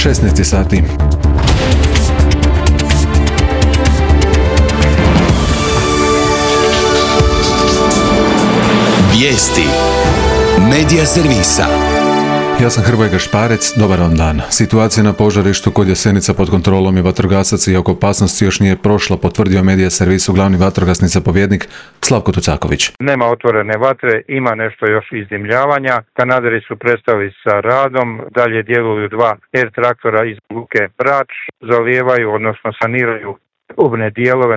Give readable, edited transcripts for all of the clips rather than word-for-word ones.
16 sati. Vijesti Medija servisa. Ja sam Hrvoje Gašparec, dobar vam dan. Situacija na požarištu kod Jasenica pod kontrolom je vatrogasaca iako opasnost još nije prošla, potvrdio Medija servisu glavni vatrogasni zapovjednik Slavko Tucaković. Nema otvorene vatre, ima nešto još izdimljavanja. Kanaderi su prestali sa radom, dalje djeluju 2 air traktora iz luke Brač, zalijevaju, odnosno saniraju ubne dijelove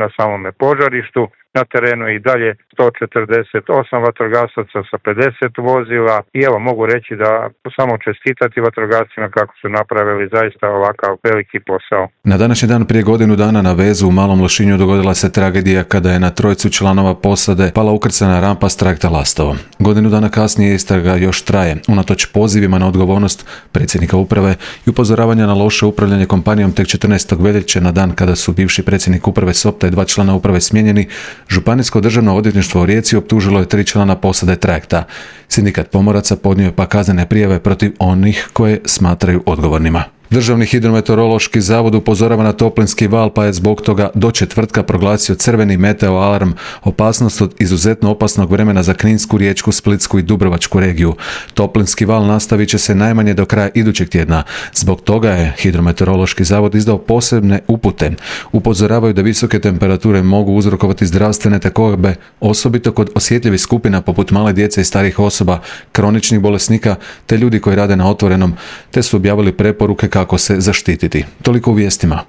na samome požarištu. Na terenu i dalje 148 vatrogasaca sa 50 vozila i evo mogu reći da samo čestitati vatrogascima kako su napravili zaista ovakav veliki posao. Na današnji dan prije godinu dana na vezu u Malom Lošinju dogodila se tragedija kada je na 3 članova posade pala ukrcana rampa s trajekta Lastovo. Godinu dana kasnije istraga još traje, unatoč pozivima na odgovornost predsjednika uprave i upozoravanja na loše upravljanje kompanijom. Tek 14. veljače, na dan kada su bivši predsjednik uprave Sopta i 2 člana uprave smijenjeni, Županijsko državno odvjetništvo u Rijeci optužilo je 3 člana posade trajekta. Sindikat pomoraca podnio je pa kaznene prijave protiv onih koje smatraju odgovornima. Državni hidrometeorološki zavod upozorava na toplinski val, pa je zbog toga do četvrtka proglasio crveni meteo alarm, opasnost od izuzetno opasnog vremena za Kninsku, Riječku, Splitsku i Dubrovačku regiju. Toplinski val nastavit će se najmanje do kraja idućeg tjedna. Zbog toga je hidrometeorološki zavod izdao posebne upute. Upozoravaju da visoke temperature mogu uzrokovati zdravstvene tegobe, osobito kod osjetljivih skupina poput male djece i starijih osoba, kroničnih bolesnika te ljudi koji rade na otvorenom, te su objavili preporuke kako se zaštititi. Toliko u vijestima.